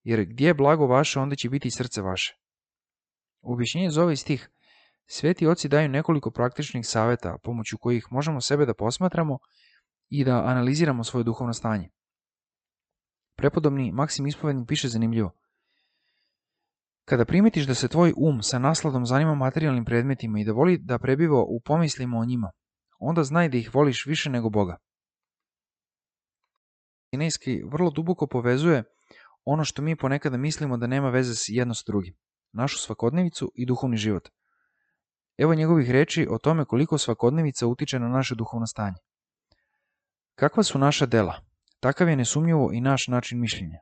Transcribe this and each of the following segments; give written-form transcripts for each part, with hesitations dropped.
jer gdje je blago vaše, onda će biti i srce vaše. U objašnjenju za ovaj stih, sveti oci daju nekoliko praktičnih savjeta pomoću kojih možemo sebe da posmatramo i da analiziramo svoje duhovno stanje. Prepodobni Maksim Ispovednik piše zanimljivo. Kada primetiš da se tvoj sa nasladom zanima materijalnim predmetima i da voli da prebiva u pomislima o njima, onda znaj da ih voliš više nego Boga. Kinejski vrlo duboko povezuje ono što mi ponekada mislimo da nema veze jedno s drugim, našu svakodnevicu i duhovni život. Evo njegovih reči o tome koliko svakodnevica utiče na naše duhovno stanje. Kakva su naša dela? Takav je nesumnjivo i naš način mišljenja.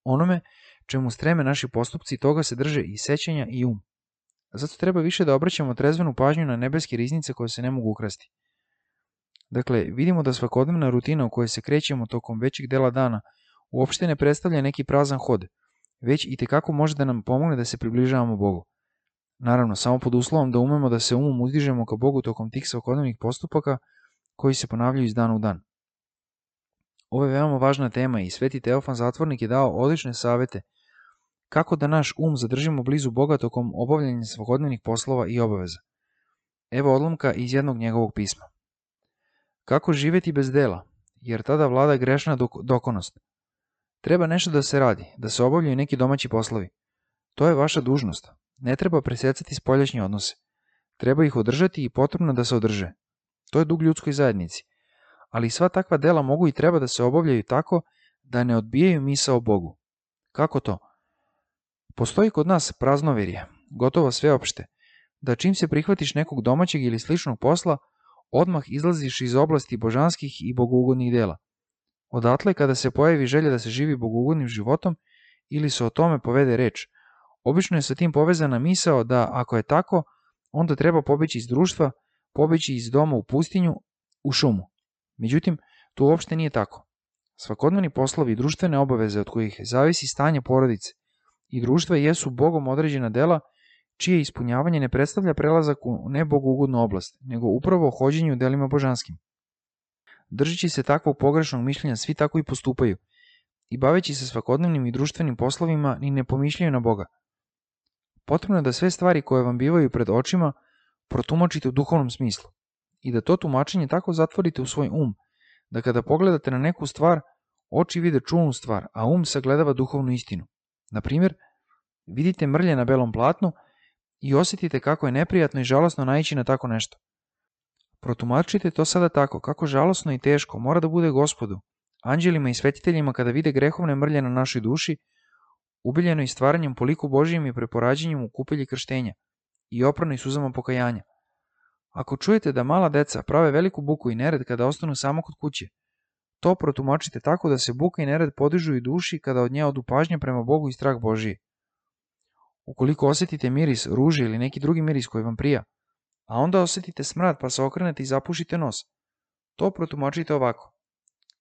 Onome čemu streme naši postupci, toga se drže i sećanja i Zato treba više da obraćamo trezvenu pažnju na nebeske riznice koje se ne mogu ukrasti. Dakle, vidimo da svakodnevna rutina u kojoj se krećemo tokom većeg dela dana uopšte ne predstavlja neki prazan hod, već i tekako može da nam pomogne da se približavamo Bogu. Naravno, samo pod uslovom da umemo da se uzdižemo ka Bogu tokom tih svakodnevnih postupaka koji se ponavljaju iz dana u dan. Ovo je veoma važna tema i sveti Teofan Zatvornik je dao odlične savete kako da naš zadržimo blizu Boga tokom obavljanja svakodnevnih poslova i obaveza. Evo odlomka iz jednog njegovog pisma. Kako živjeti bez dela, jer tada vlada grešna dokonost. Treba nešto da se radi, da se obavljaju neki domaći poslovi. To je vaša dužnost. Ne treba presecati spoljašnje odnose. Treba ih održati i potrebno da se održe. To je dug ljudskoj zajednici. Ali sva takva dela mogu i treba da se obavljaju tako da ne odbijaju misao o Bogu. Kako to? Postoji kod nas praznoverje, gotovo sveopšte, da čim se prihvatiš nekog domaćeg ili sličnog posla, odmah izlaziš iz oblasti božanskih i bogougodnih dela. Odatle kada se pojavi želja da se živi bogougodnim životom ili se o tome povede reč, obično je sa tim povezana misao da ako je tako, onda treba pobeći iz društva, pobeći iz doma u pustinju, u šumu. Međutim, to uopšte nije tako. Svakodnevni poslovi i društvene obaveze od kojih zavisi stanje porodice i društva jesu Bogom određena dela čije ispunjavanje ne predstavlja prelazak u nebogougodnu oblast, nego upravo hođenje u delima božanskim. Držeći se takvog pogrešnog mišljenja, svi tako i postupaju i baveći se svakodnevnim i društvenim poslovima ni ne pomišljaju na Boga. Potrebno je da sve stvari koje vam bivaju pred očima protumačite u duhovnom smislu i da to tumačenje tako zatvorite u svoj da kada pogledate na neku stvar, oči vide čulnu stvar, a sagledava duhovnu istinu. Na primjer, vidite mrlje na belom platnu i osjetite kako je neprijatno i žalosno naići na tako nešto. Protumačite to sada tako, kako žalosno i teško mora da bude Gospodu, anđelima i svetiteljima kada vide grehovne mrlje na našoj duši, ubiljeno i stvaranjem po liku Božijem i preporađenjem u kupelji krštenja i opranoj suzama pokajanja. Ako čujete da mala deca prave veliku buku i nered kada ostanu samo kod kuće, to protumačite tako da se buka i nered podižu i duši kada od nje odu pažnja prema Bogu i strah Božiji. Ukoliko osjetite miris ruže ili neki drugi miris koji vam prija, a onda osjetite smrad pa se okrenete i zapušite nos, to protumačite ovako.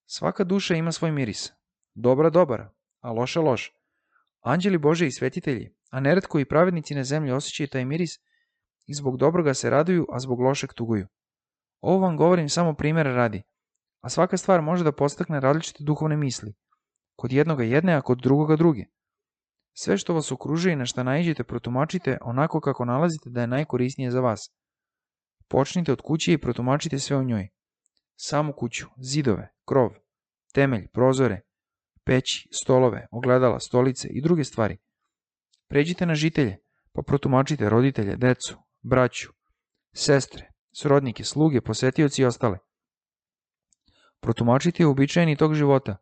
Svaka duša ima svoj miris. Dobra dobar, a loša loš. Anđeli Bože i svetitelji, a neretko i pravednici na zemlji osjećaju taj miris i zbog dobroga se raduju, a zbog lošeg tuguju. Ovo vam govorim samo primjera radi, a svaka stvar može da podstakne različite duhovne misli. Kod jednoga jedne, a kod drugoga druge. Sve što vas okružuje i na šta naiđete protumačite onako kako nalazite da je najkorisnije za vas. Počnite od kuće i protumačite sve u njoj. Samu kuću, zidove, krov, temelj, prozore, peći, stolove, ogledala, stolice i druge stvari. Pređite na žitelje, pa protumačite roditelje, decu, braću, sestre, srodnike, sluge, posetioci i ostale. Protumačite uobičajeni tok života,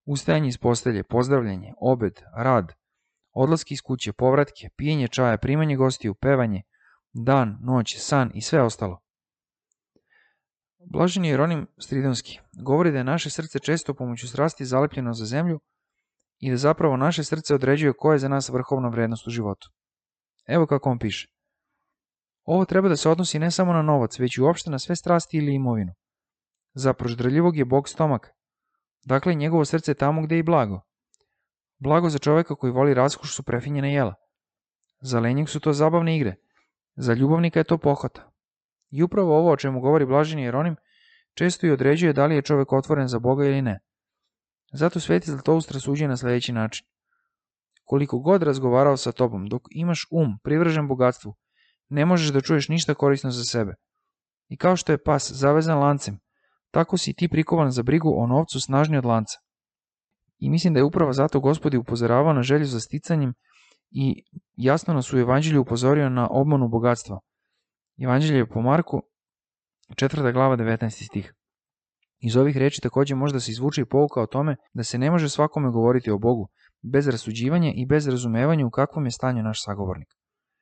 ustajanje iz postelje, pozdravljanje, obed, rad, odlaske iz kuće, povratke, pijenje čaja, primanje gostiju, pevanje, dan, noć, san i sve ostalo. Blaženi Jeronim Stridonski govori da je naše srce često pomoću strasti zalepljeno za zemlju i da zapravo naše srce određuje koja je za nas vrhovna vrednost u životu. Evo kako on piše. Ovo treba da se odnosi ne samo na novac, već i uopšte na sve strasti ili imovinu. Za proždraljivog je Bog stomak. Dakle, njegovo srce je tamo gde je i blago. Blago za čoveka koji voli raskoš su prefinjena jela. Za lenjeg su to zabavne igre. Za ljubavnika je to pohota. I upravo ovo o čemu govori blaženi Jeronim često i određuje da li je čovek otvoren za Boga ili ne. Zato sveti Zlatoust rasuđuje na sledeći način. koliko god razgovarao sa tobom, dok imaš privržen bogatstvu, ne možeš da čuješ ništa korisno za sebe. I kao što je pas zavezan lancem, tako si ti prikovan za brigu o novcu snažniji od lanca. I mislim da je upravo zato Gospod upozoravao na želju za sticanjem i jasno nas u Evanđelju upozorio na obmanu bogatstva. Evanđelje po Marku, 4. glava, 19. stih. Iz ovih reči također možda se izvuče i pouka o tome da se ne može svakome govoriti o Bogu bez rasuđivanja i bez razumevanja u kakvom je stanju naš sagovornik.